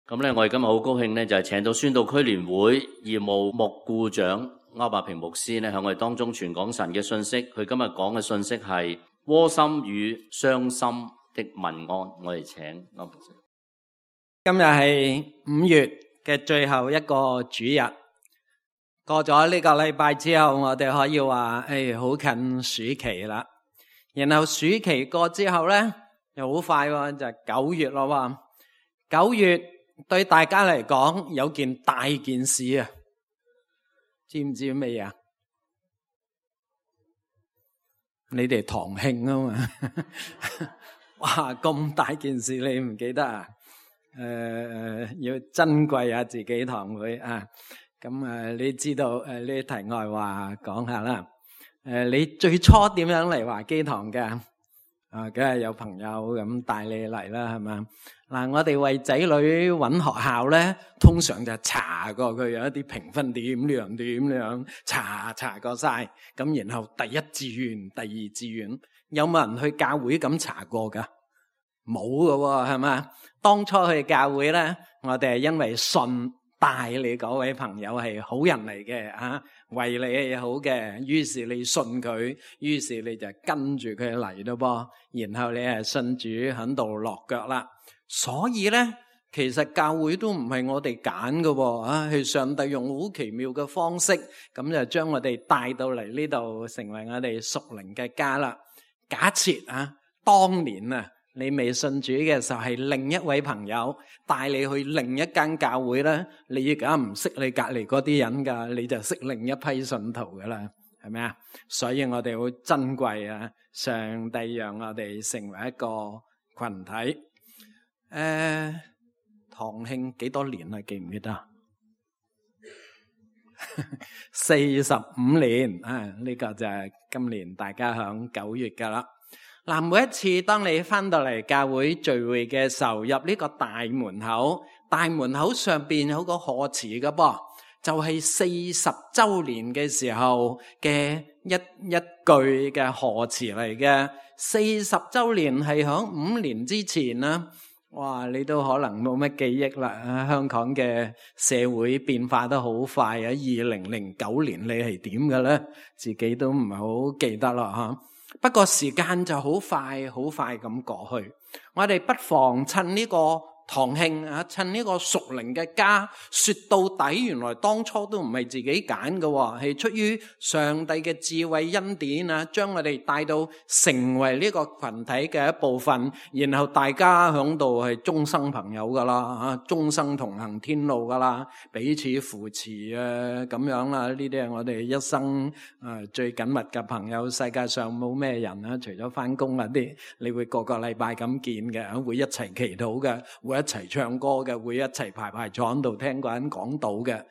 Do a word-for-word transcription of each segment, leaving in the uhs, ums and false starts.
咁咧，我哋今日好高興咧，就係請到宣道區聯會義務牧顧長歐伯平牧師咧，喺我哋當中傳講神嘅信息。佢今日講嘅信息係窩心與傷心的問安。我哋請歐牧師。今日係五月嘅最後一個主日，過咗呢個禮拜之後，我哋可以話誒，好近暑期啦。然後暑期過之後咧，又好快喎，就係九月咯喎。九月對大家嚟講有件大件事啊，知唔知咩啊？你哋堂慶啊嘛，哇咁大件事你唔記得啊？誒、呃、要珍貴下自己堂會啊！咁誒，你知道誒呢啲題外話講下啦。誒，你最初點樣嚟華基堂嘅？啊，梗係有朋友咁帶你嚟啦，係嘛？嗱，我哋為仔女揾學校咧，通常就查過佢有一啲評分點樣點樣，查查過晒。咁然後第一志願、第二志願，有冇人去教會咁查過噶？冇噶喎，係嘛？當初去教會咧，我哋係因為信帶你嗰位朋友係好人嚟嘅啊，為你係好嘅，於是你信佢，於是你就跟住佢嚟咯噃，然後你係信主喺度落腳啦。所以咧，其實教會都唔係我哋揀嘅啊，係上帝用好奇妙嘅方式，咁就將我哋帶到嚟呢度，成為我哋屬靈嘅家啦。假設啊，當年啊，你未信主嘅時候係另一位朋友帶你去另一間教會咧，你而家唔識你隔籬嗰啲人噶，你就識另一批信徒噶啦，係咪啊？所以我哋好珍貴啊，上帝讓我哋成為一個群體。誒、呃，堂慶幾多年啊？記唔記得？四十五年啊！呢、這個就係今年大家響九月噶啦。嗱，每一次當你翻到嚟教會聚會嘅時候，入呢個大門口，大門口上邊有個賀詞噶噃，就係四十周年嘅時候嘅一一句嘅賀詞嚟嘅。四十周年係響五年之前啦。哇！你都可能冇乜記憶啦。香港嘅社會變化得好快啊！二零零九年你係點嘅咧？自己都唔係好記得啦吓。不過時間就好快好快咁過去，我哋不妨趁呢個堂慶啊，趁呢個屬靈嘅家，說到底原來當初都唔係自己揀嘅，係出於上帝嘅智慧恩典啊，將我哋帶到成為呢個群體嘅一部分，然後大家響度係終生朋友噶啦，啊，終生同行天路噶啦，彼此扶持啊，咁樣啦，呢啲係我哋一生啊最緊密嘅朋友。世界上冇咩人啊，除咗翻工嗰啲，你會個個禮拜咁見嘅，會一齊祈禱嘅，會一齊唱歌嘅，會一齊排排坐喺度聽個人講道嘅，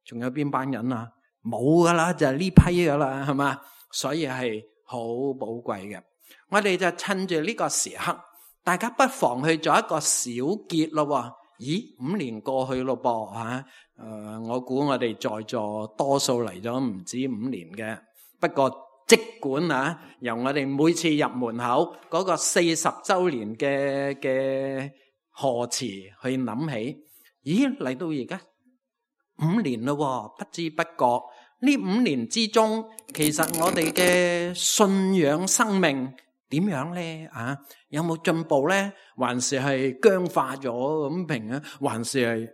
仲有邊班人啊？冇噶啦，就係呢批噶啦，係嘛？所以係好寶貴嘅。我哋就趁住呢個時刻，大家不妨去做一個小結咯。咦，五年過去咯噃吓，誒，我估我哋在座多數嚟咗唔止五年嘅，不過即管啊，由我哋每次入門口嗰個四十周年嘅嘅賀詞去諗起，咦，嚟到而家五年咯，不知不覺呢五年之中，其實我哋嘅信仰生命點樣咧？啊，有冇進步咧？還是係僵化咗咁平啊？還是係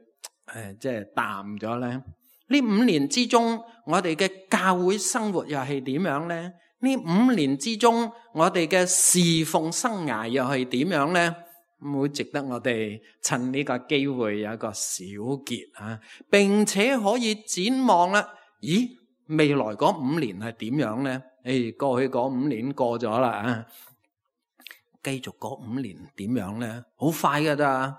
誒即係淡咗咧？呢五年之中，我哋嘅教會生活又係點樣咧？呢五年之中，我哋嘅侍奉生涯又係點樣咧？會值得我哋趁呢個機會有一個小結啊，並且可以展望啦。咦，未來嗰五年係點樣咧？誒，過去嗰五年過咗啦啊，繼續嗰五年點樣咧？好快噶咋，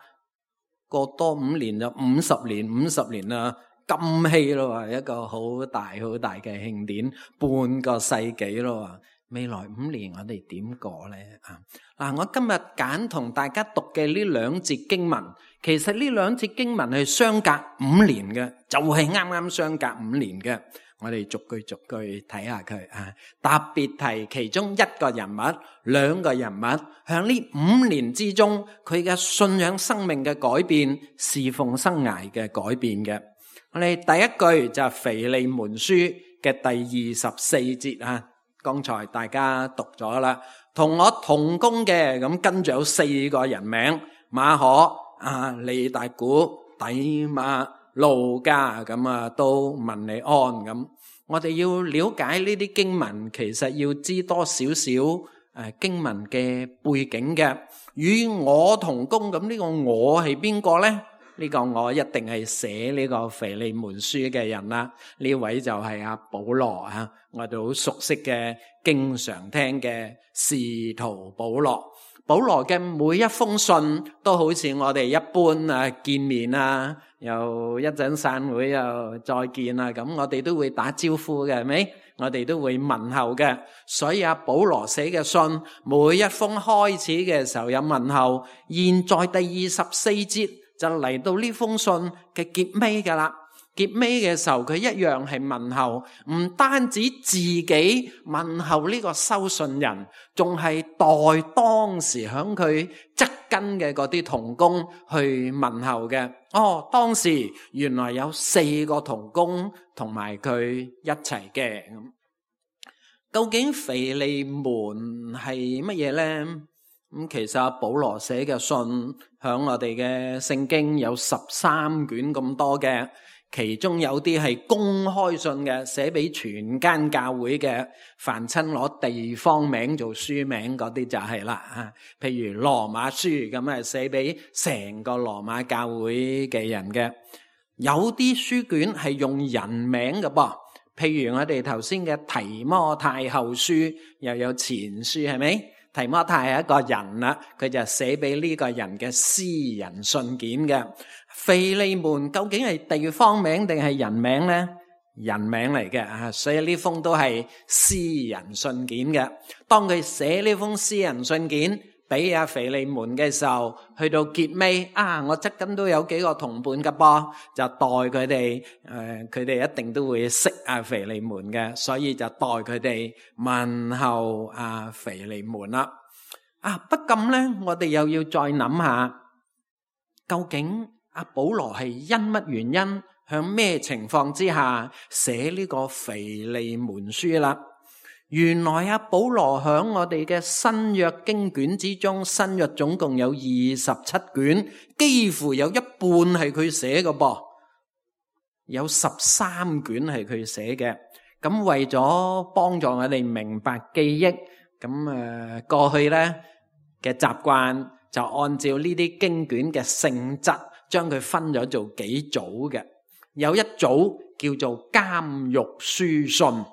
過多五年就五十年，五十年啦，金禧咯，一個好大好大嘅慶典，半個世紀咯。未來五年我哋點過咧啊？嗱，我今日揀同大家讀嘅呢兩節經文，其實呢兩節經文係相隔五年嘅，就係啱啱相隔五年嘅。我哋逐句逐句睇下佢啊，特別提其中一個人物、兩個人物，向呢五年之中，佢嘅信仰生命嘅改變、侍奉生涯嘅改變嘅。我哋第一句就係腓利門書嘅第二十四節啊，剛才大家讀咗啦，同我同工嘅，咁跟住有四個人名，馬可、啊利大古、底馬、路加，咁啊都問你安咁。我哋要了解呢啲經文，其實要知多少少誒經文嘅背景嘅。與我同工，咁呢個我係邊個呢？呢個我一定係寫呢個腓利門書嘅人啦。呢位就係阿保羅啊，我哋好熟悉嘅，經常聽嘅使徒保羅。保羅嘅每一封信都好似我哋一般啊，見面啊，又一陣散會又再見啊，咁我哋都會打招呼嘅，係咪？我哋都會問候嘅。所以阿保羅寫嘅信，每一封開始嘅時候有問候。現在第二十四節就嚟到呢封信嘅結尾噶啦。結尾嘅時候佢一樣係問候，唔單止自己問候呢個收信人，仲係代當時響佢側跟嘅嗰啲同工去問候嘅。哦，當時原來有四個同工同埋佢一齊嘅。究竟腓利門係乜嘢呢？咁其實保羅寫嘅信響我哋嘅聖經有十三卷咁多嘅。其中有啲係公開信嘅，寫俾全間教會嘅，凡親攞地方名做書名嗰啲就係啦啊。譬如羅馬書咁啊，寫俾成個羅馬教會嘅人嘅。有啲書卷係用人名嘅噃，譬如我哋頭先嘅提摩太後書，又有前書，係咪？提摩太係一個人啦，佢就寫俾呢個人嘅私人信件嘅。腓利門究竟係地方名定係人名呢？人名嚟嘅啊，所以呢封都係私人信件嘅。當佢寫呢封私人信件俾阿腓利門嘅時候，去到結尾啊，我側跟都有幾個同伴㗎噃，就代佢哋誒，佢哋一定都會識阿腓利門嘅，所以就代佢哋問候阿腓利門啦。啊，不禁咧，我哋又要再諗下，究竟阿保羅係因乜原因，向咩情況之下寫呢個腓利門書啦？原來阿保羅響我哋嘅新約經卷之中，新約總共有二十七卷，幾乎有一半係佢寫嘅噃，有十三卷係佢寫嘅。咁為咗幫助我哋明白記憶，咁誒過去咧嘅習慣就按照呢啲經卷嘅性質，將佢分咗做幾組嘅。有一組叫做監獄書信，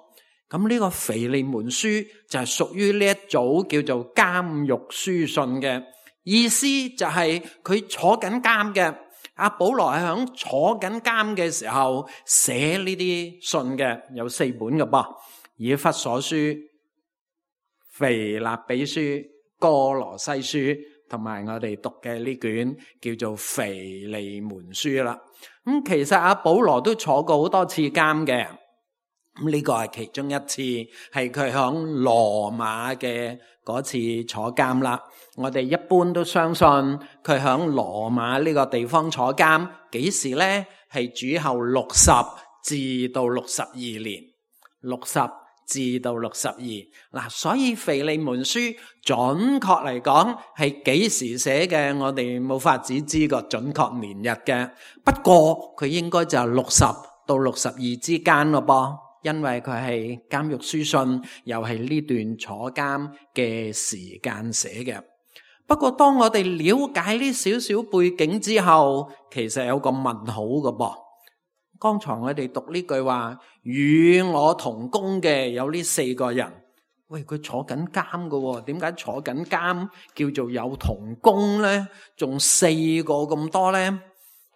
咁呢個腓利門書就係屬於呢一組叫做監獄書信嘅。意思就係佢坐緊監嘅，阿保羅係響坐緊監嘅時候寫呢啲信嘅，有四本嘅噃，以弗所書、腓立比書、哥羅西書，同埋我哋讀嘅呢卷叫做腓利門書啦。咁其實阿保羅都坐過好多次監嘅，咁呢個係其中一次，係佢響羅馬嘅嗰次坐監啦。我哋一般都相信佢響羅馬呢個地方坐監，幾時呢？係主後六十至到六十二年，六十至到六十二嗱，所以腓利門書準確嚟講係幾時寫嘅，我哋冇法子知個準確年日嘅。不過佢應該就係六十到六十二之間咯噃，因為佢係監獄書信，又係呢段坐監嘅時間寫嘅。不過當我哋了解呢少少背景之後，其實有個問號嘅噃。剛才我哋讀呢句話，與我同工嘅有呢四個人，喂，佢坐緊監嘅，點解坐緊監叫做有同工呢？仲四個咁多呢？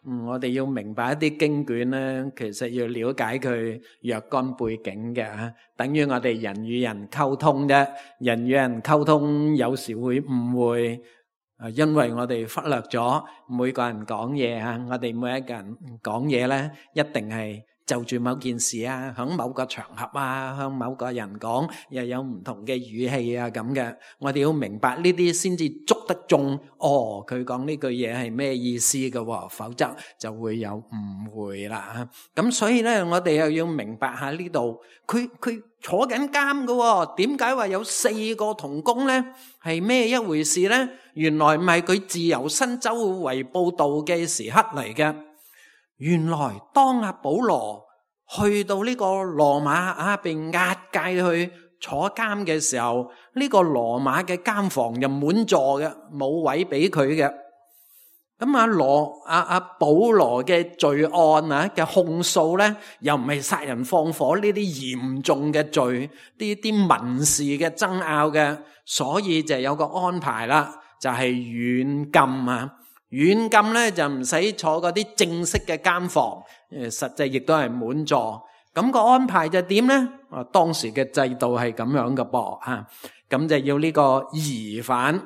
嗯，我哋要明白一啲經卷呢，其實要了解佢若干背景嘅，等於我哋人與人溝通啫。人與人溝通有時會誤會。因為我哋忽略咗每個人講嘢啊，我哋每一個人講嘢咧，一定係就住某件事啊，響某個場合啊，向某個人講，又有唔同嘅語氣啊咁嘅。我哋要明白呢啲先至捉得中。哦，佢講呢句嘢係咩意思嘅，否則就會有誤會啦。咁所以咧，我哋又要明白下呢度，佢佢坐緊監嘅，點解話有四個同工咧？係咩一回事咧？原來唔係佢自由身周圍報道嘅時刻嚟嘅。原來當阿保羅去到呢個羅馬啊，被押解去坐監嘅時候，呢個羅馬嘅監房就滿座嘅，冇位俾佢嘅。咁阿羅阿阿保羅嘅罪案啊嘅控訴咧，又唔係殺人放火呢啲嚴重嘅罪，呢啲民事嘅爭拗嘅，所以就有個安排啦，就係軟禁啊。軟禁咧就唔使坐嗰啲正式嘅監房，誒，實際亦都係滿座。咁個安排就點咧？啊，當時嘅制度係咁樣嘅噃，吓，咁就要呢個疑犯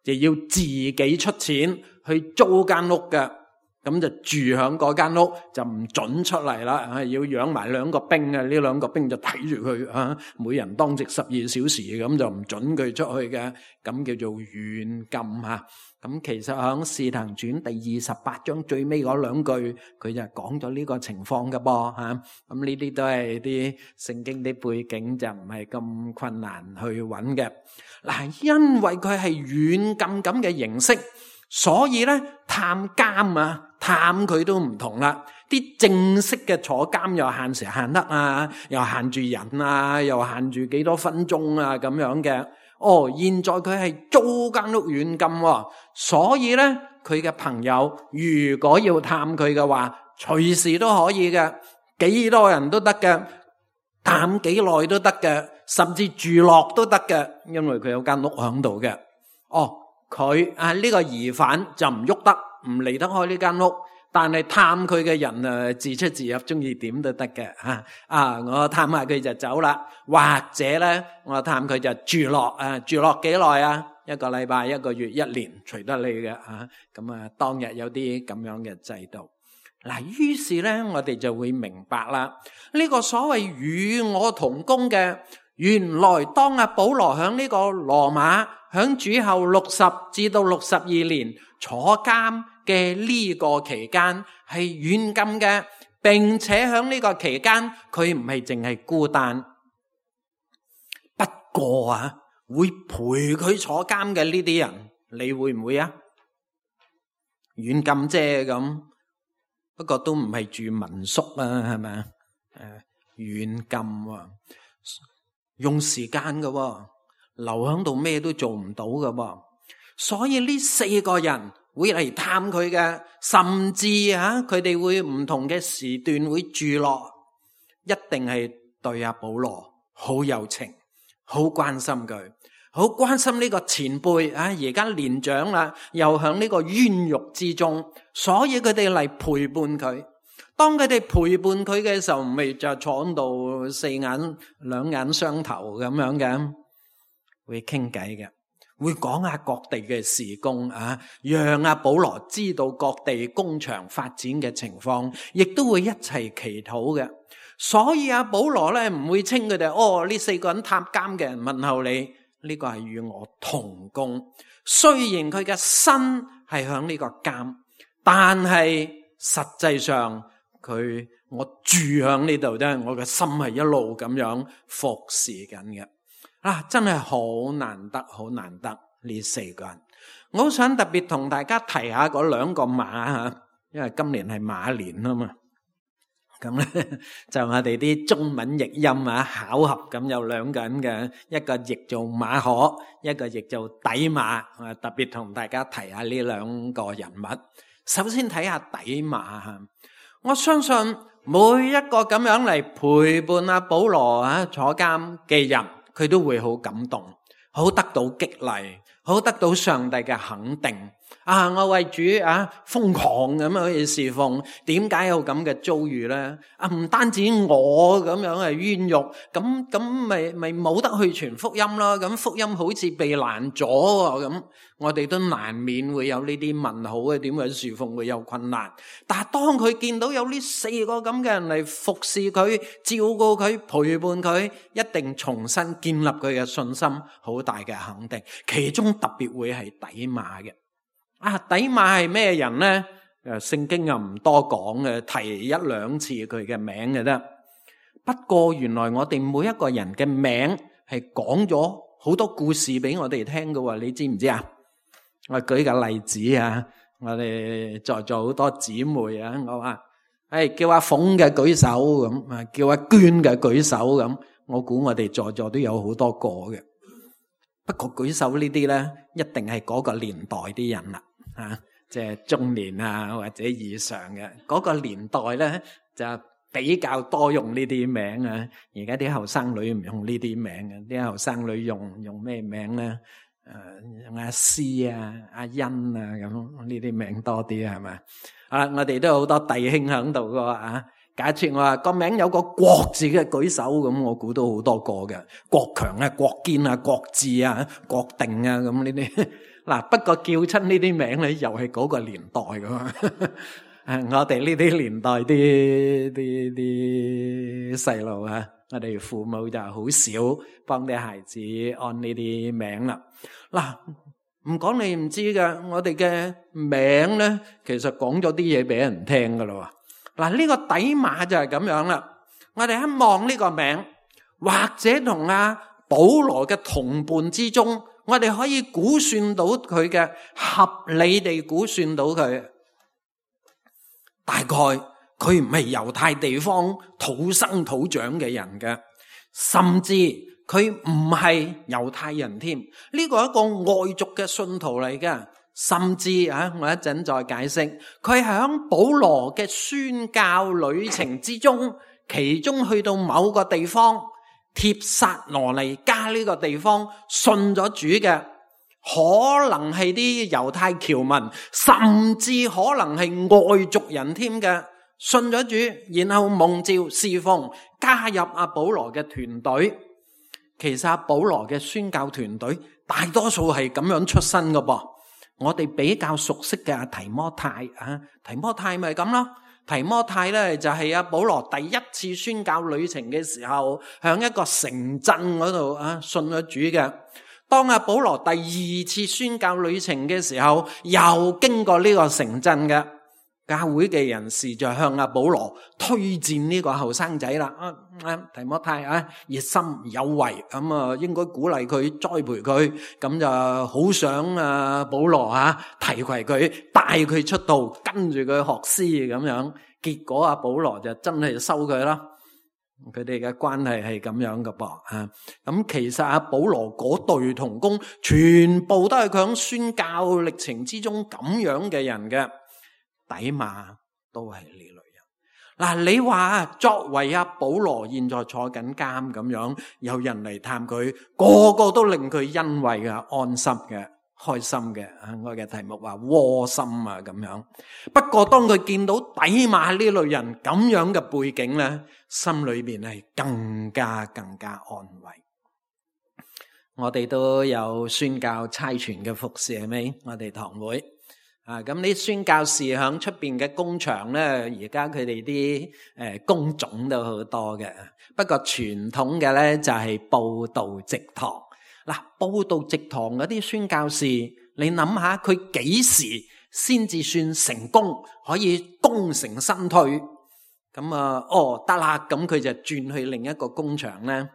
就要自己出錢去租間屋嘅，咁就住響嗰間屋，就唔准出嚟啦，啊，要養埋兩個兵啊，呢兩個兵就睇住佢啊，每人當值十二小時，咁就唔准佢出去嘅，咁叫做軟禁吓。咁其實喺《使徒行傳》第二十八章最尾嗰兩句，佢就講咗呢個情況嘅噃吓。咁呢啲都係啲聖經啲背景，就唔係咁困難去揾嘅。嗱，因為佢係軟禁咁嘅形式，所以咧探監啊，探佢都唔同啦。啲正式嘅坐監又限時限刻啊，又限住人啊，又限住幾多分鐘啊咁樣嘅。哦，現在佢係租間屋軟禁，所以咧佢嘅朋友如果要探佢嘅話，隨時都可以嘅，幾多人都得嘅，探幾耐都得嘅，甚至住落都得嘅，因為佢有間屋響度嘅。哦，佢啊呢個疑犯就唔喐得，唔離得開呢間屋。但係探佢嘅人啊，自出自入，中意點都得嘅吓。啊，我探下佢就走啦，或者咧，我探佢就住落啊，住落幾耐啊？一個禮拜、一個月、一年，隨得你嘅吓。咁啊，當日有啲咁樣嘅制度。嗱，於是咧，我哋就會明白啦。呢個所謂與我同工嘅，原來當阿保羅響呢個羅馬，響主後六十至到六十二年坐監嘅呢個期間係軟禁嘅，並且響呢個期間佢唔係淨係孤單，不過啊會陪佢坐監嘅呢啲人，你會唔會啊？軟禁啫咁，不過都唔係住民宿啊，係咪啊？誒，軟禁啊，用時間噶，留響度咩都做唔到噶，所以呢四個人會嚟探佢嘅，甚至啊，佢哋會唔同嘅時段會住落，一定係對阿保羅好有情，好關心佢，好關心呢個前輩啊，而家年長啦，又響呢個冤獄之中，所以佢哋嚟陪伴佢。當佢哋陪伴佢嘅時候，咪就坐喺度四眼兩眼相投咁樣嘅，會傾偈嘅。會講下各地嘅事工啊，讓阿保羅知道各地工場發展嘅情況，亦都會一齊祈禱嘅。所以阿保羅咧唔會稱佢哋哦，呢四個人探監嘅人問候你，呢個係與我同工。雖然佢嘅身係響呢個監，但係實際上佢我住響呢度啫，我嘅心係一路咁樣服侍緊嘅。啊，真係好難得，好難得呢四個人。我好想特別同大家提下嗰兩個馬吓，因為今年係馬年啊嘛。咁咧就我哋啲中文譯音啊，巧合咁有兩個人嘅，一個譯做馬可，一個譯做底馬。啊，特別同大家提下呢兩個人物。首先睇下底馬吓，我相信每一個咁樣嚟陪伴阿保羅啊坐監嘅人，佢都會好感動，好得到激勵，好得到上帝嘅肯定。啊！我為主啊瘋狂咁樣去侍奉，點解有咁嘅遭遇咧？啊，唔單止我咁樣係冤獄，咁咁咪咪冇得去傳福音咯。咁福音好似被攔咗喎，咁我哋都難免會有呢啲問號嘅，點解侍奉會有困難？但係當佢見到有呢四個咁嘅人嚟服侍佢、照顧佢、陪伴佢，一定重新建立佢嘅信心，好大嘅肯定。其中特別會係底馬嘅。啊，底馬係咩人呢？誒，聖經又唔多講嘅，提一兩次佢嘅名嘅啫。不過原來我哋每一個人嘅名係講咗好多故事俾我哋聽嘅喎，你知唔知啊？我舉個例子啊，我哋在座好多姊妹啊，我話誒叫阿鳳嘅舉手咁，啊叫阿娟嘅舉手咁，我估我哋在座都有好多個嘅。不過舉手呢啲咧，一定係嗰個年代啲人啦。啊，即係中年啊或者以上嘅嗰個年代咧，就比較多用呢啲名啊。而家啲後生女唔用呢啲名嘅，啲後生女用用咩名咧？誒，用阿詩啊、阿欣啊咁呢啲名多啲係咪？啊，我哋都有好多弟兄喺度嘅啊。假設我話個名有個國字嘅舉手咁，我估到好多個嘅，國強啊、國堅啊、國志啊、國定啊咁呢啲。嗱，不過叫親呢啲名咧，又係嗰個年代噶嘛。我哋呢啲年代啲啲啲細路啊，我哋父母就好少幫啲孩子按呢啲名啦。嗱，唔講你唔知噶，我哋嘅名咧，其實講咗啲嘢俾人聽噶啦。嗱，呢個底馬就係咁樣啦。我哋一望呢個名，或者同阿保羅嘅同伴之中，我哋可以估算到佢嘅，合理地估算到佢，大概佢唔係猶太地方土生土長嘅人嘅，甚至佢唔係猶太人添。呢個係一個外族嘅信徒嚟嘅，甚至啊，我一陣再解釋。佢係喺保羅嘅宣教旅程之中，其中去到某個地方，帖撒羅尼加呢個地方信咗主嘅，可能係啲猶太僑民，甚至可能係外族人添嘅，信咗主，然後蒙召侍奉，加入阿保羅嘅團隊。其實阿保羅嘅宣教團隊大多數係咁樣出身嘅噃。我哋比較熟悉嘅阿提摩太啊，提摩太咪咁咯。提摩太咧就係阿保羅第一次宣教旅程嘅時候，向一個城鎮嗰度啊信咗主嘅。當阿保羅第二次宣教旅程嘅時候，又經過呢個城鎮嘅教會嘅人士就向阿保羅推薦呢個後生仔啦。啊啊，提摩太啊，熱心有為，咁啊應該鼓勵佢，栽培佢，咁就好想啊保羅啊提攜佢，帶佢出道，跟住佢學師咁樣。結果阿保羅就真係收佢啦。佢哋嘅關係係咁樣嘅噃啊。咁其實阿保羅嗰對同工，全部都係佢喺宣教歷程之中咁樣嘅人嘅。底馬都係呢類人。嗱，你話作為阿保羅現在坐緊監咁樣，有人嚟探佢，個個都令佢欣慰嘅、安心嘅、開心嘅。我嘅題目話窩心啊咁樣。不過當佢見到底馬呢類人咁樣嘅背景咧，心裏面係更加更加安慰。我哋都有宣教差傳嘅服侍係咪？我哋堂會。啊，咁啲宣教士響出邊嘅工場咧，而家佢哋啲誒工種都好多嘅。不過傳統嘅咧就係佈道植堂。嗱，佈道植堂嗰啲宣教士，你諗下佢幾時先至算成功，可以功成身退？咁啊，哦得啦，咁佢就轉去另一個工場咧。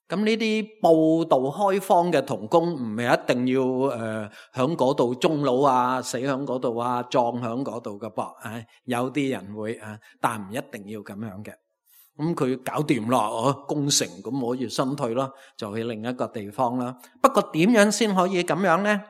咁呢啲佈道開荒嘅同工唔係一定要誒響嗰度終老啊，死響嗰度啊，葬響嗰度嘅噃。啊，有啲人會啊，但唔一定要咁樣嘅。咁佢搞掂啦，哦，功成，咁可以身退咯，就去另一個地方啦。不過點樣先可以咁樣咧？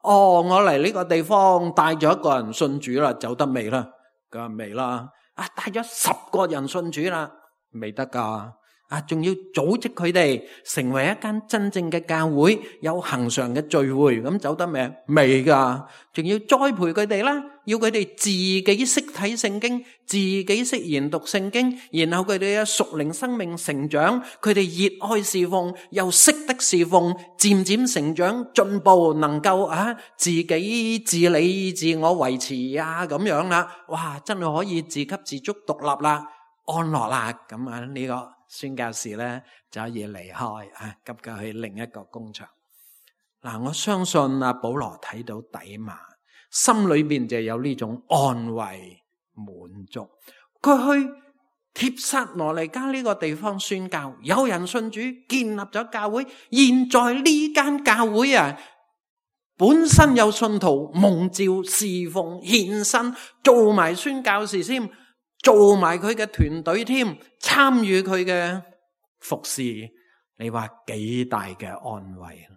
哦，我嚟呢個地方帶咗一個人信主啦，走得未啦？佢話未啦。啊，帶咗十個人信主啦，未得噶。啊，仲要組織佢哋成為一間真正嘅教會，有恆常嘅聚會，咁走得未？未噶，仲要栽培佢哋啦，要佢哋自己識睇聖經，自己識研讀聖經，然後佢哋嘅屬靈生命成長，佢哋熱愛侍奉，又識得侍奉，漸漸成長進步，能夠啊自己自理自我維持啊咁樣啦，哇，真係可以自給自足獨立啦，安樂啦，咁啊呢個宣教士咧就可以離開啊，急急去另一個工場。嗱，我相信阿保羅睇到底馬，心裏邊就有呢種安慰滿足。佢去帖撒羅尼迦呢個地方宣教，有人信主，建立咗教會。現在呢間教會啊，本身有信徒蒙召侍奉獻身，做埋宣教士添，做埋佢嘅團隊添，參與佢嘅服侍，你話幾大嘅安慰。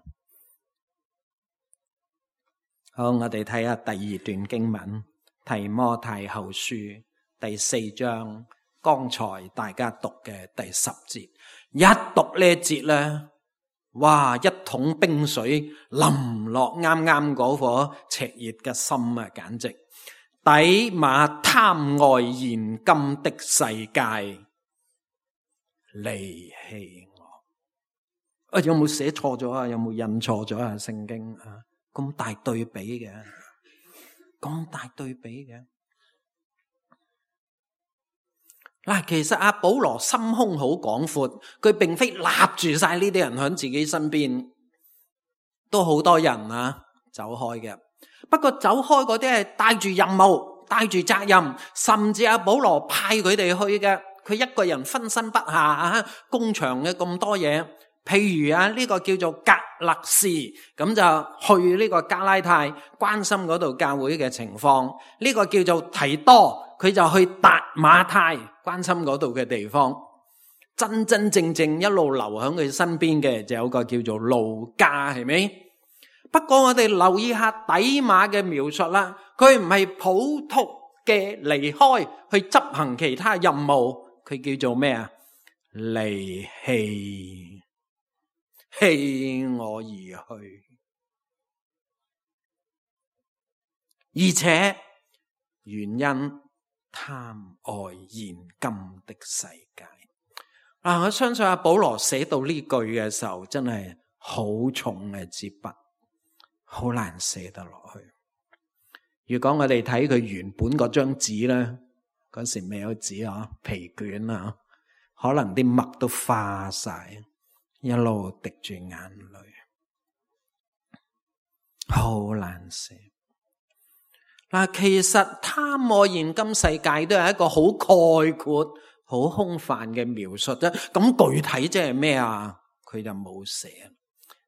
好，我哋睇下第二段經文，提摩太後書第四章，剛才大家讀嘅第十節，一讀呢一節咧，哇，一桶冰水淋落啱啱嗰顆赤熱嘅心啊，簡直底馬貪愛現今的世界，離棄我。啊，有冇寫錯咗啊？有冇印錯咗啊？聖經啊，咁大對比嘅，咁大對比嘅。嗱，其實阿保羅心胸好廣闊，佢並非立住晒呢啲人喺自己身邊，都好多人啊走開嘅。不過走開嗰啲係帶住任務、帶住責任，甚至阿保羅派佢哋去嘅，佢一個人分身不下啊，工場嘅咁多嘢。譬如啊，呢個叫做格勒士，咁就去呢個加拉太，關心嗰度教會嘅情況。呢個叫做提多，佢就去達馬太，關心嗰度嘅地方。真真正正一路留喺佢身邊嘅，就有個叫做路加，係咪？不過我哋留意下底馬嘅描述啦，佢唔係普通嘅離開去執行其他任務，佢叫做咩啊？離棄。棄我而去，而且原因貪愛現今的世界。啊，我相信阿保羅寫到呢句嘅時候，真係好重嘅支筆，好難寫得落去。如果我哋睇佢原本嗰張紙咧，嗰時未有紙啊，皮卷啊，可能啲墨都花晒。一路滴住眼淚，好難寫。嗱，其實貪愛現今世界都係一個好概括、好空泛嘅描述啫。咁具體即係咩啊？佢就冇寫，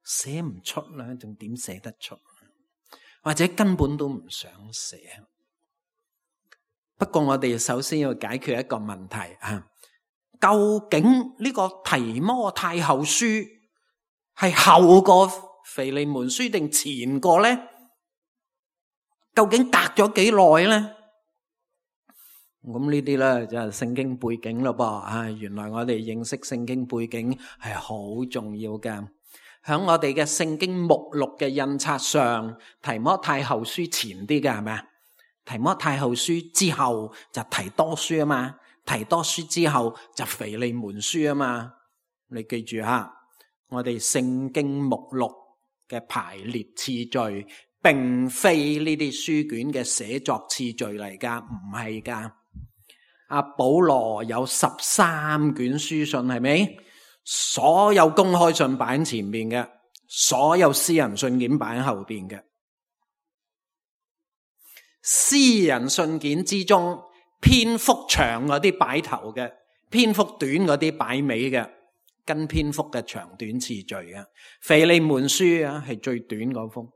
寫唔出啦，仲點寫得出？或者根本都唔想寫。不過我哋首先要解決一個問題啊。究竟呢個提摩太後書係後過腓利門書定前過呢？究竟隔咗幾耐呢？咁呢啲咧就係聖經背景咯噃啊！原來我哋認識聖經背景係好重要嘅。響我哋嘅聖經目錄嘅印刷上，提摩太後書前啲嘅係咪啊？提摩太後書之後就提多書啊嘛。提多書之後就腓利門書啊嘛，你記住吓，我哋聖經目錄嘅排列次序，並非呢啲書卷嘅寫作次序嚟噶，唔係噶。阿保羅有十三卷書信，係咪？所有公開信擺喺前面嘅，所有私人信件擺喺後邊嘅。私人信件之中，篇幅長嗰啲擺頭嘅，篇幅短嗰啲擺尾嘅，跟篇幅嘅長短次序嘅。腓利門書啊係最短嗰封，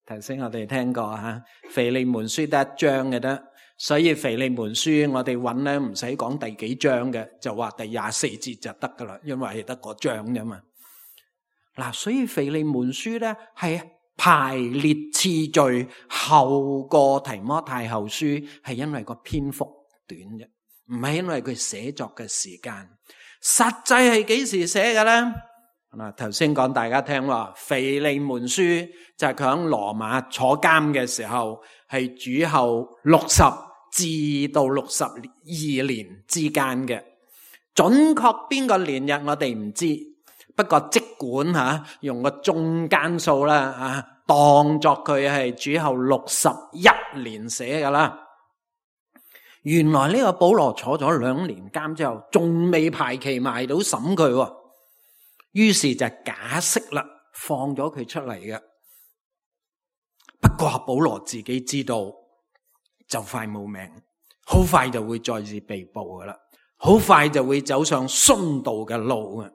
頭先我哋聽過吓，腓利門書得一章嘅得，所以腓利門書我哋揾咧唔使講第幾章嘅，就話第廿四節就得噶啦，因為係得個章啫嘛。嗱，所以腓利門書咧係排列次序後過提摩太後書，係因為個篇幅短啫，唔係因為佢寫作嘅時間。實際係幾時寫嘅呢？嗱，頭先講大家聽話，腓利門書就係佢喺羅馬坐監嘅時候，係主後六十至到六十二年之間嘅。準確邊個年日我哋唔知，不過即管吓用個中間數啦，啊，當作佢係主後六十一年寫噶啦。原來呢個保羅坐咗兩年監之後，仲未排期埋到審佢，於是就假釋啦，放咗佢出嚟嘅。不過保羅自己知道就快冇命，好快就會再次被捕噶啦，好快就會走上殉道嘅路啊！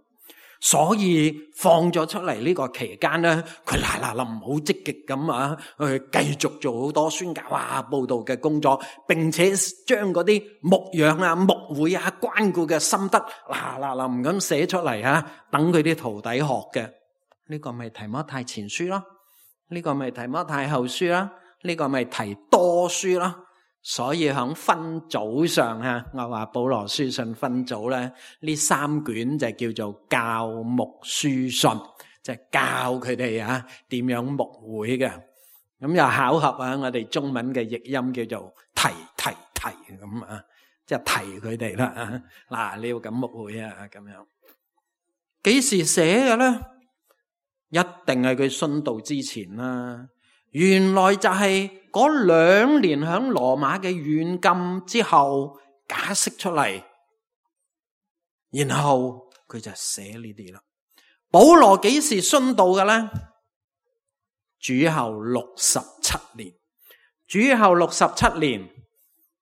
所以放咗出嚟呢個期間咧，佢嗱嗱臨好積極咁啊，去繼續做好多宣教啊、佈道嘅工作，並且將嗰啲牧養啊、牧會啊、關顧嘅心得嗱嗱臨咁寫出嚟啊，等佢啲徒弟學嘅。呢個咪提摩太前書咯，呢個咪提摩太後書啦，呢個咪提多書啦。所以喺分組上啊，我話保羅書信分組咧，呢三卷就叫做教牧書信，就係教佢哋啊點樣牧會嘅。咁又巧合啊，我哋中文嘅譯音叫做提提提咁啊，即係提佢哋啦。嗱，你要咁牧會啊，咁樣幾時寫嘅咧？一定係佢殉道之前啦。原來就係嗰兩年響羅馬嘅軟禁之後假釋出嚟，然後佢就寫呢啲啦。保羅幾時殉道嘅咧？主後六十七年，主後六十七年，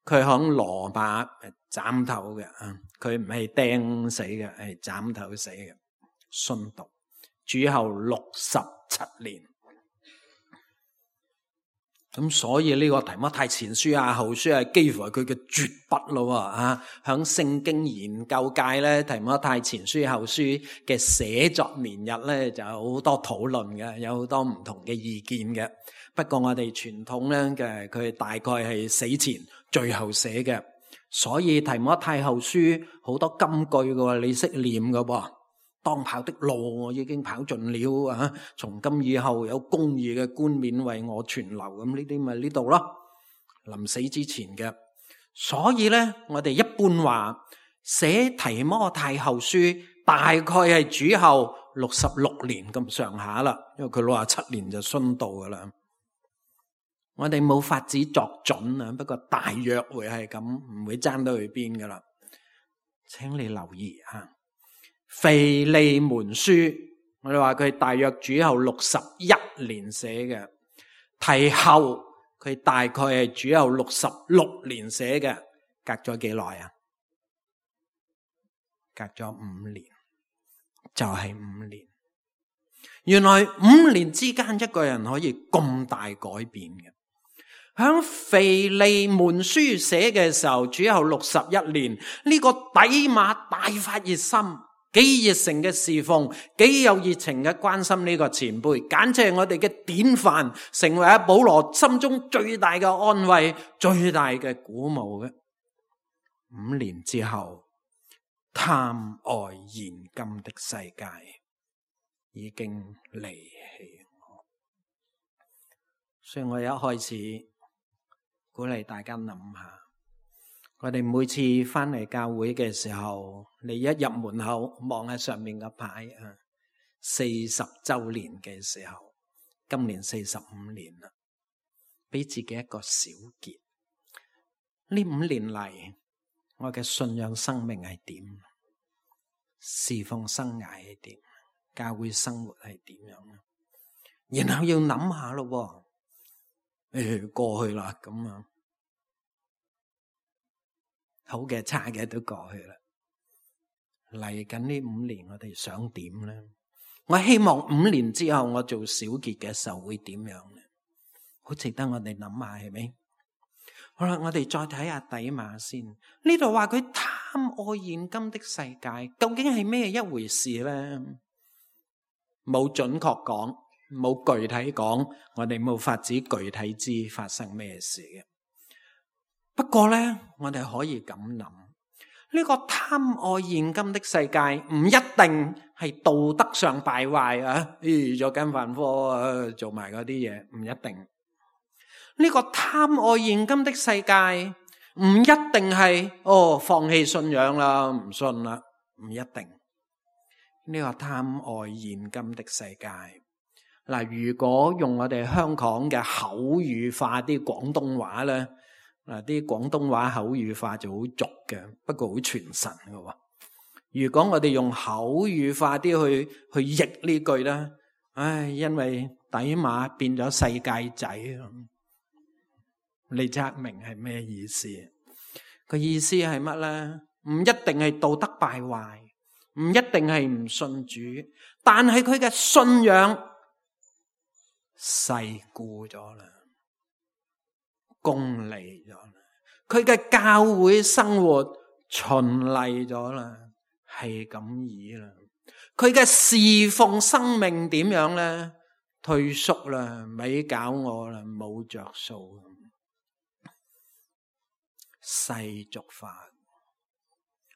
佢響羅馬斬頭嘅啊，佢唔係釘死嘅，係斬頭死嘅殉道。主後六十七年。咁所以呢個提摩太前書啊、後書啊，幾乎係佢嘅絕筆咯啊！響聖經研究界咧，提摩太前書、後書嘅寫作年日咧，就有好多討論嘅，有好多唔同嘅意見嘅。不過我哋傳統咧嘅，佢大概係死前最後寫嘅，所以提摩太後書好多金句嘅，你識念嘅噃。當跑的路我已經跑盡了啊！從今以後有公義嘅冠冕為我存留，咁呢啲咪呢度咯。臨死之前嘅，所以咧我哋一般話寫提摩太後書大概係主後六十六年咁上下啦，因為佢六十七年就殉道噶啦。我哋冇法子作準啊，不過大約會係咁，唔會爭到去邊噶啦。請你留意啊！腓利門書，我哋話佢大約主後六十一年寫嘅，提後佢大概係主後六十六年寫嘅，隔咗幾耐啊？隔咗五年，就係五年。原來五年之間一個人可以咁大改變嘅。響腓利門書寫嘅時候，主後六十一年，呢個底馬大發熱心。幾熱誠嘅侍奉，幾有熱情嘅關心呢個前輩，簡直係我哋嘅典範，成為阿保羅心中最大嘅安慰，最大嘅鼓舞嘅。五年之後，貪愛現今的世界已經離棄我，所以我一開始鼓勵大家諗下。我哋每次翻嚟教會嘅時候，你一入門口望下上面嘅牌啊，四十周年嘅時候，今年四十五年啦，俾自己一個小結。呢五年嚟，我嘅信仰生命係點？侍奉生涯係點？教會生活係點樣？然後要諗下咯，誒，過去啦，咁啊。好嘅差嘅都過去啦，嚟緊呢五年我哋想點呢？我希望五年之後我做小結嘅時候會點樣呢？好值得我哋諗下，係咪？好啦，我哋再睇下底馬先。呢度話佢貪愛現今的世界，究竟係咩一回事呢？冇準確講，冇具體講，我哋冇法子具體知發生咩事嘅。不過咧，我哋可以咁諗，呢個貪愛現今的世界唔一定係道德上敗壞啊，咦，做緊飯科啊，做埋嗰啲嘢，唔一定。呢個貪愛現今的世界唔一定係哦放棄信仰啦，唔信啦，唔一定。呢個貪愛現今的世界，嗱，如果用我哋香港嘅口語化啲廣東話咧。嗱，啲廣東話口語化就好俗嘅，不過好傳神嘅。如果我哋用口語化啲去去譯呢句咧，唉，因為底馬變咗世界仔，你測明係咩意思？個意思係乜咧？唔一定係道德敗壞，唔一定係唔信主，但係佢嘅信仰世故咗啦。功利咗啦，佢嘅教會生活循例咗啦，係咁意啦。佢嘅侍奉生命點樣咧？退縮啦，咪搞我啦，冇着數，世俗化，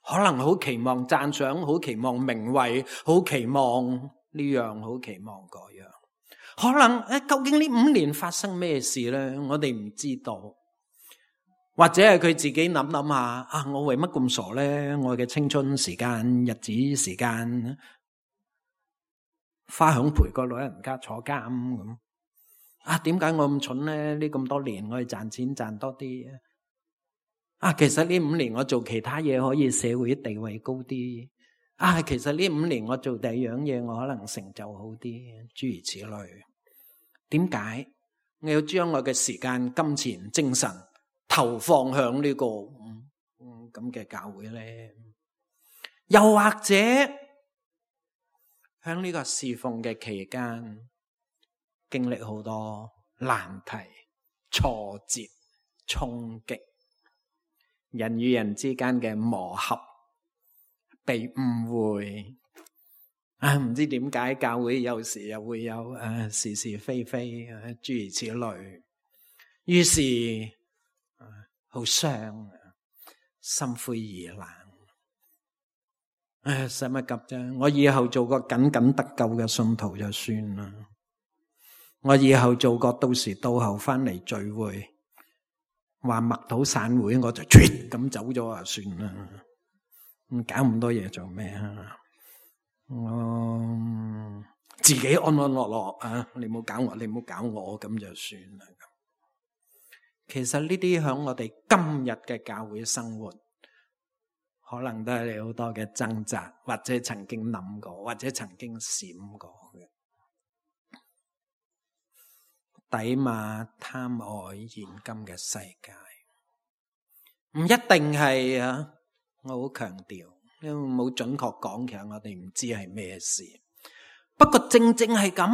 可能好期望讚賞，好期望名位，好期望呢樣，好期望嗰樣。可能誒，究竟呢五年發生咩事咧？我哋唔知道，或者係佢自己諗諗下啊！我為乜咁傻咧？我嘅青春時間、日子時間，花響陪個老人家坐監咁啊？點解我咁蠢咧？呢咁多年我去賺錢賺多啲啊！其實呢五年我做其他嘢可以社會地位高啲啊！其實呢五年我做第二樣嘢，我可能成就好啲，諸如此類。點解我要將我嘅時間、金錢、精神投放向呢個嗯嗯咁嘅教會咧？又或者喺呢個侍奉嘅期間，經歷好多難題、挫折、衝擊，人與人之間嘅磨合，被誤會啊，唔知點解教會有時又會有誒、啊、是是非非啊，諸如此類，於是好傷，心灰意冷。唉，使乜急啫？我以後做個僅僅得救嘅信徒就算啦。我以後做個到時到後翻嚟聚會，話默禱散會，我就啜咁走咗啊，算啦。咁搞咁多嘢做咩啊？我自己安安樂樂啊！你唔好搞我，你唔好搞我，咁就算啦。其實呢啲響我哋今日嘅教會生活，可能都係你好多嘅掙扎，或者曾經諗過，或者曾經閃過嘅。底馬貪愛現今嘅世界，唔一定係啊！我好強調，因為冇準確講，其實我哋唔知係咩事。不過正正係咁，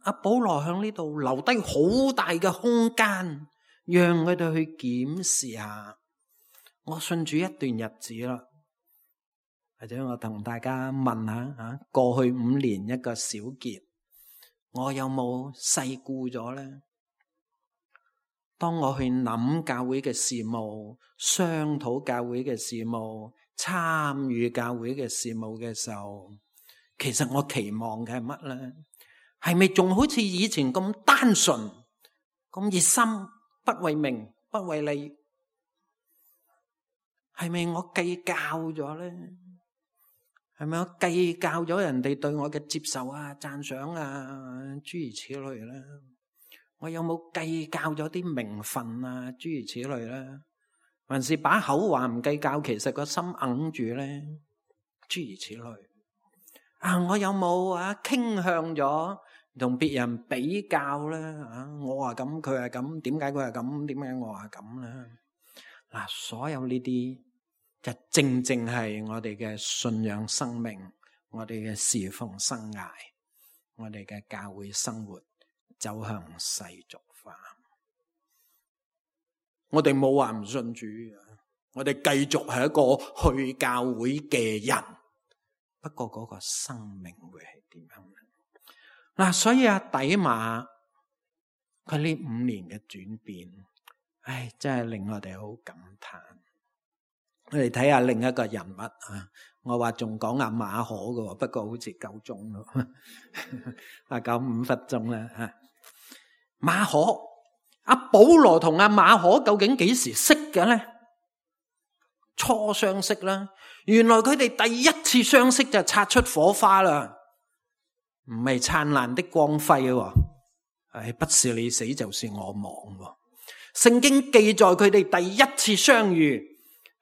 阿保羅喺呢度留低好大嘅空間，讓佢哋去檢視下。我信主一段日子啦，或者我同大家問下吓，過去五年一個小結，我有冇世故咗咧？當我去諗教會嘅事務、商討教會嘅事務、參與教會嘅事務嘅時候，其實我期望嘅係乜咧？係咪仲好似以前咁單純、咁熱心，不為名、不為利？係咪我計較咗咧？係咪我計較咗人哋對我嘅接受啊、讚賞啊，諸如此類咧？我有冇計較咗啲名分啊，諸如此類咧？還是把口話唔計較，其實個心硬住咧？諸如此類啊！我有冇啊傾向咗同別人比較咧？啊，我話咁，佢係咁，點解佢係咁？點解我話咁咧？嗱，所有呢啲就正正係我哋嘅信仰生命，我哋嘅侍奉生涯，我哋嘅教會生活走向世俗化。我哋冇話唔信主，我哋繼續係一個去教會嘅人。不過嗰個生命會係點樣呢？嗱，所以阿底馬佢呢五年嘅轉變，唉，真係令我哋好感嘆。我哋睇下另一個人物啊，我話仲講阿馬可嘅，不過好似夠鐘咯，啊夠五分鐘啦吓。馬可，阿保羅同阿馬可究竟幾時識嘅咧？初相識啦，原來佢哋第一次相識就擦出火花啦，唔係燦爛的光輝喎，唉，不是你死就是我亡喎。聖經記載佢哋第一次相遇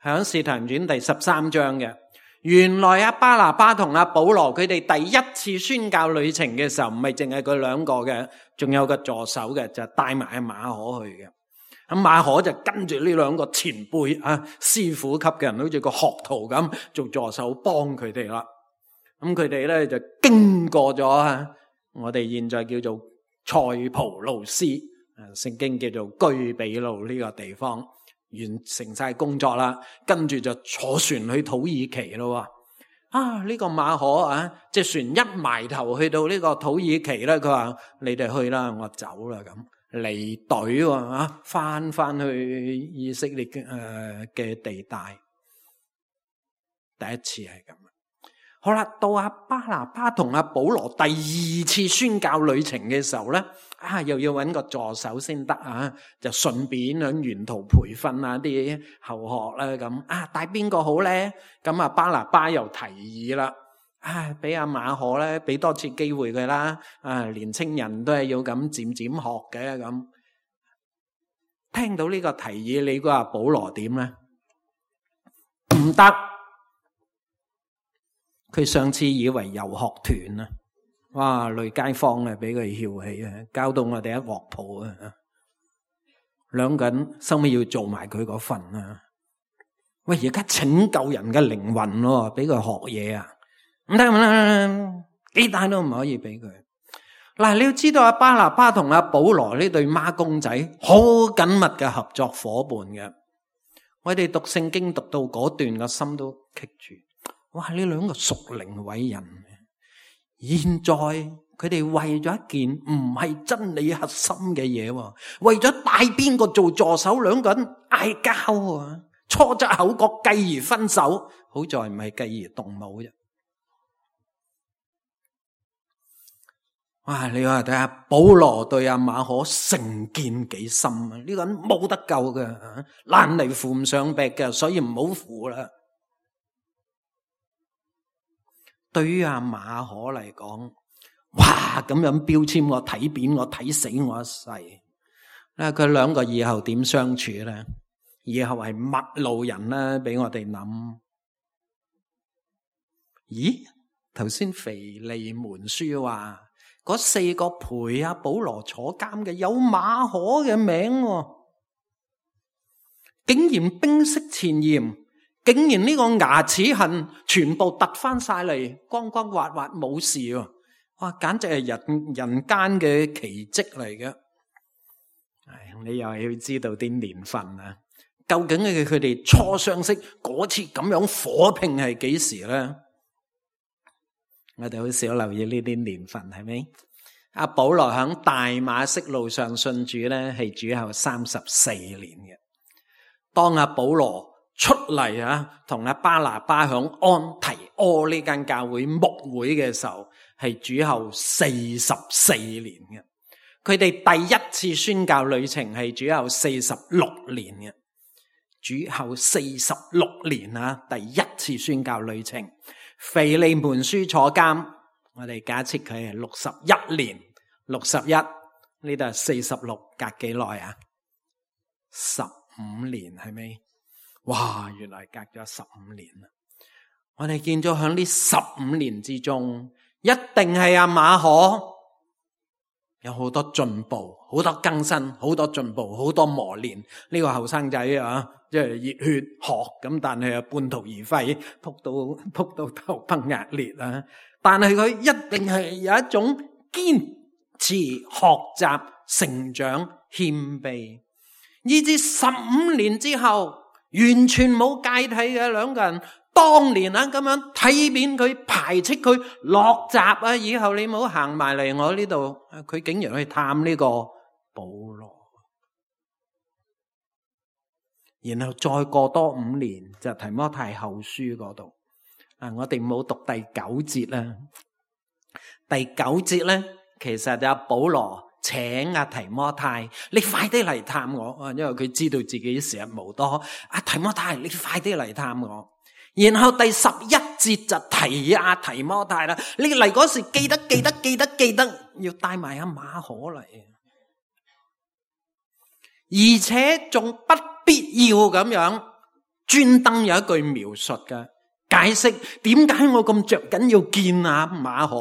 響使徒行傳第十三章嘅。原來阿巴拿巴同阿保羅佢哋第一次宣教旅程嘅時候，唔係淨係佢兩個嘅，仲有個助手嘅，就帶埋阿馬可去嘅。咁馬可就跟住呢兩個前輩啊，師傅級嘅人，好似個學徒咁做助手幫佢哋啦。咁佢哋咧就經過咗啊，我哋現在叫做塞浦路斯，聖經叫做居比路呢個地方，完成晒工作啦，跟住就坐船去土耳其咯。啊，呢個馬可啊，隻船一埋頭去到呢個土耳其咧，佢話你哋去啦，我走啦咁。離隊喎，翻翻去以色列嘅誒嘅地帶，第一次係咁。好啦，到阿巴拿巴同阿保羅第二次宣教旅程嘅時候咧，啊又要搵個助手先得啊，就順便響沿途培訓啊啲後學啦咁。啊帶邊個好咧？咁啊巴拿巴又提議啦。啊，俾阿馬可咧，俾多次機會佢啦。啊，年青人都係要咁漸漸學嘅咁。聽到呢個提議，你估阿保羅點咧？唔得，佢上次以為遊學團啊，哇，累街坊啊，俾佢翹起啊，搞到我哋一鑊泡啊。兩個人收尾要做埋佢嗰份啊。喂，而家拯救人嘅靈魂咯，俾佢學嘢啊！唔得唔得，幾大都唔可以俾佢。嗱，你要知道阿巴拿巴同阿保羅呢對孖公仔好緊密嘅合作伙伴嘅。我哋讀聖經讀到嗰段個心都棘住。哇！呢兩個屬靈偉人，現在佢哋為咗一件唔係真理核心嘅嘢，為咗帶邊個做助手，兩個人嗌交啊，初則口角，繼而分手。好在唔係繼而動武啫。哇！你話睇下保羅對阿馬可成見幾深啊？呢個人冇得救嘅，爛泥扶唔上壁嘅，所以唔好扶啦。對於阿馬可嚟講，哇！咁樣標籤我睇扁我睇死我一世。嗱，佢兩個以後點相處咧？以後係陌路人啦，俾我哋諗。咦？頭先腓利門書話。嗰四個陪阿保羅坐監嘅有馬可嘅名，竟然冰釋前嫌，竟然呢個牙齒痕全部突翻晒嚟，光光滑滑冇事喎！哇，簡直係人人間嘅奇蹟嚟嘅。唉，你又係要知道啲年份啊？究竟係佢哋初相識嗰次咁樣火拼係幾時咧？我哋好少留意呢啲年份，係咪？阿保羅響大馬色路上信主咧，係主後三十四年嘅。當阿保羅出嚟啊，同阿巴拿巴響安提阿呢間教會牧會嘅時候，係主後四十四年嘅。佢哋第一次宣教旅程係主後四十六年嘅。主後四十六年啊，第一次宣教旅程。腓利門書坐監，我哋假設佢係六十一年，六十一呢度係四十六，隔幾耐啊？十五年係咪？哇，原來隔咗十五年啦！我哋見咗響呢十五年之中，一定係阿馬可有好多進步，好多更新，好多進步，好多磨練。呢個後生仔啊，即係熱血學咁，但係啊半途而廢，撲到撲到頭崩額裂啊！但係佢一定係有一種堅持學習、成長、謙卑，以至十五年之後完全冇芥蒂嘅兩個人。當年啊咁樣睇扁佢，排斥佢，落閘啊！以後你唔好行埋嚟我呢度。佢竟然去探呢個保羅。然後再過多五年就提摩太後書嗰度。啊，我哋冇讀第九節啦。第九節咧，其實就阿保羅請阿提摩太，你快啲嚟探我啊！因為佢知道自己時日無多。阿提摩太，你快啲嚟探我。然後第十一節就提阿提摩太啦，你嚟嗰時記得記得記得記得要帶埋阿馬可嚟，而且仲不必要咁樣專登有一句描述嘅解釋，點解我咁着緊要見阿馬可，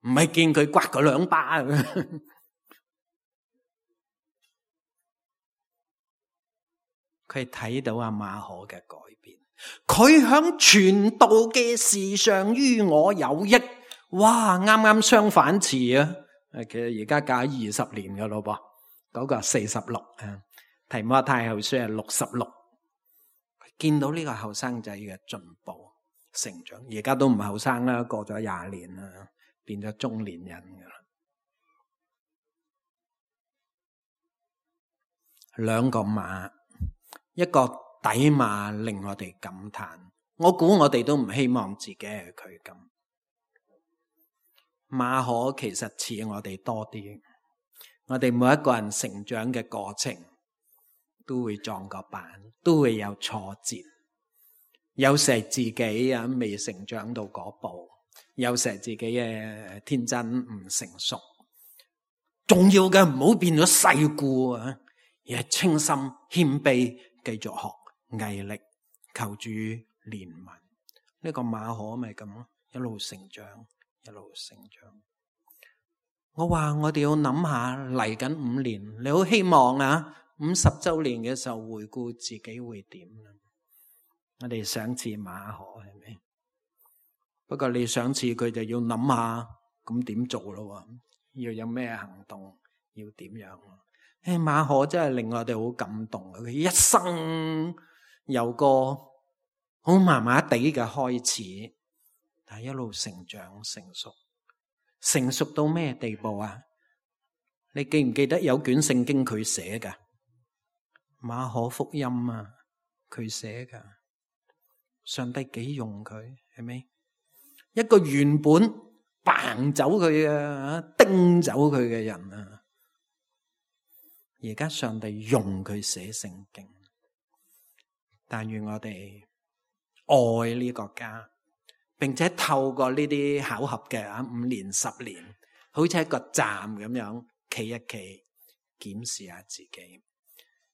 唔係見佢刮佢兩巴。佢睇到阿馬可嘅改變，佢響傳道嘅事上於我有益。哇，啱啱相反詞啊！其實而家教二十年噶咯噃，嗰、那個四十六啊，提摩太後書係六十六。見到呢個後生仔嘅進步成長，而家都唔後生啦，過咗廿年啦，變咗中年人噶啦。兩個馬，一個底馬令我哋感嘆，我估我哋都唔希望自己係佢咁。馬可其實似我哋多啲，我哋每一個人成長嘅過程都會撞個板，都會有挫折，有時係自己啊未成長到嗰步，有時係自己嘅天真唔成熟。重要嘅唔好變咗世故啊，而係清心謙卑，繼續學毅力，求主憐憫。呢個馬可咪咁咯，一路成長，一路成長。我話我哋要諗下嚟緊五年，你好希望啊五十周年嘅時候回顧自己會點？我哋想似馬可係咪？不過你想似佢就要諗下，咁點做咯？要有咩行動？要點樣？誒，馬可真係令我哋好感動。佢一生有個好麻麻地嘅開始，但係一路成長成熟，成熟到咩地步啊？你記唔記得有卷聖經佢寫㗎？馬可福音啊，佢寫㗎。上帝幾用佢係咪？一個原本掹走佢嘅、叮走佢嘅人啊，而家上帝用佢寫聖經。但願我哋愛呢個家，並且透過呢啲巧合嘅啊五年十年，好似一個站咁樣企一企，檢視下自己。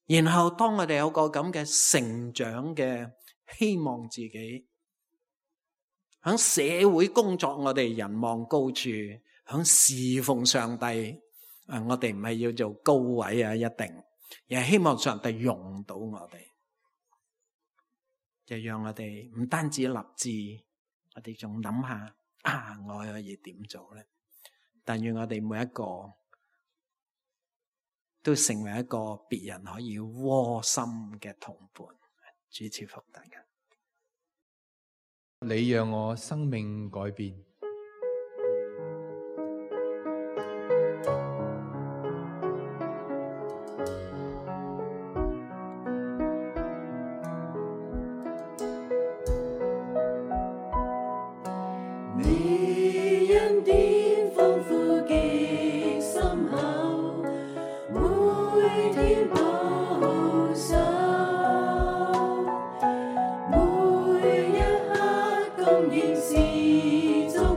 然後當我哋有個咁嘅成長嘅希望，自己喺社會工作，我哋人望高處，喺侍奉上帝，啊，我哋唔係要做高位啊，一定，而係希望上帝用到我哋，就讓我哋唔單止立志，我哋仲諗下啊，我可以點做咧？但願我哋每一個都成為一個別人可以窩心嘅同伴。主賜福大家。你讓我生命改變。你恩典豐富極深厚，每天保守，每一刻供應是足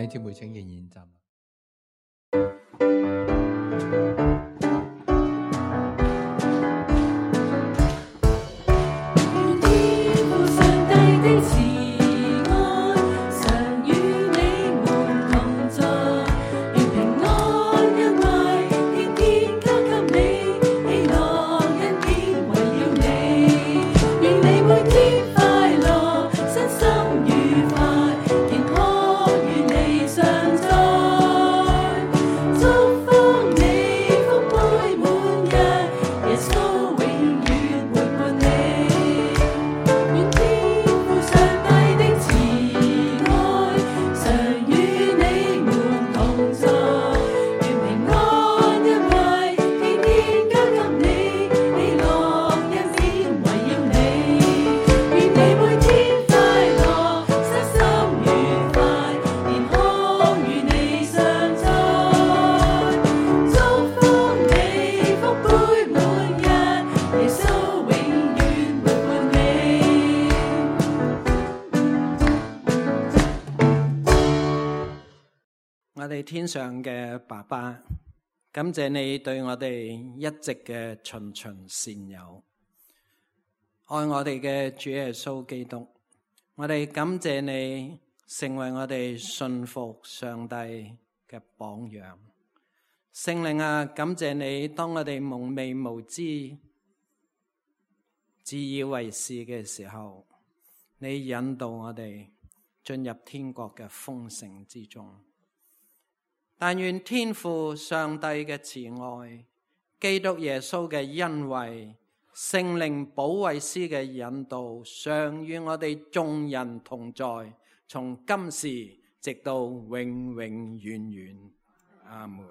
弟兄姊妹請仍然站立。我哋天上嘅爸爸，感謝你對我哋一直嘅循循善誘，愛我哋嘅主耶穌基督。我哋感謝你成為我哋信服上帝嘅榜樣。聖靈啊，感謝你，當我哋蒙昧無知、自以為是嘅時候，你引導我哋進入天國嘅豐盛之中。但願天父上帝嘅慈愛、基督耶穌嘅恩惠、聖靈保惠師嘅引導，常與我哋眾人同在，從今時直到永永遠遠。阿門。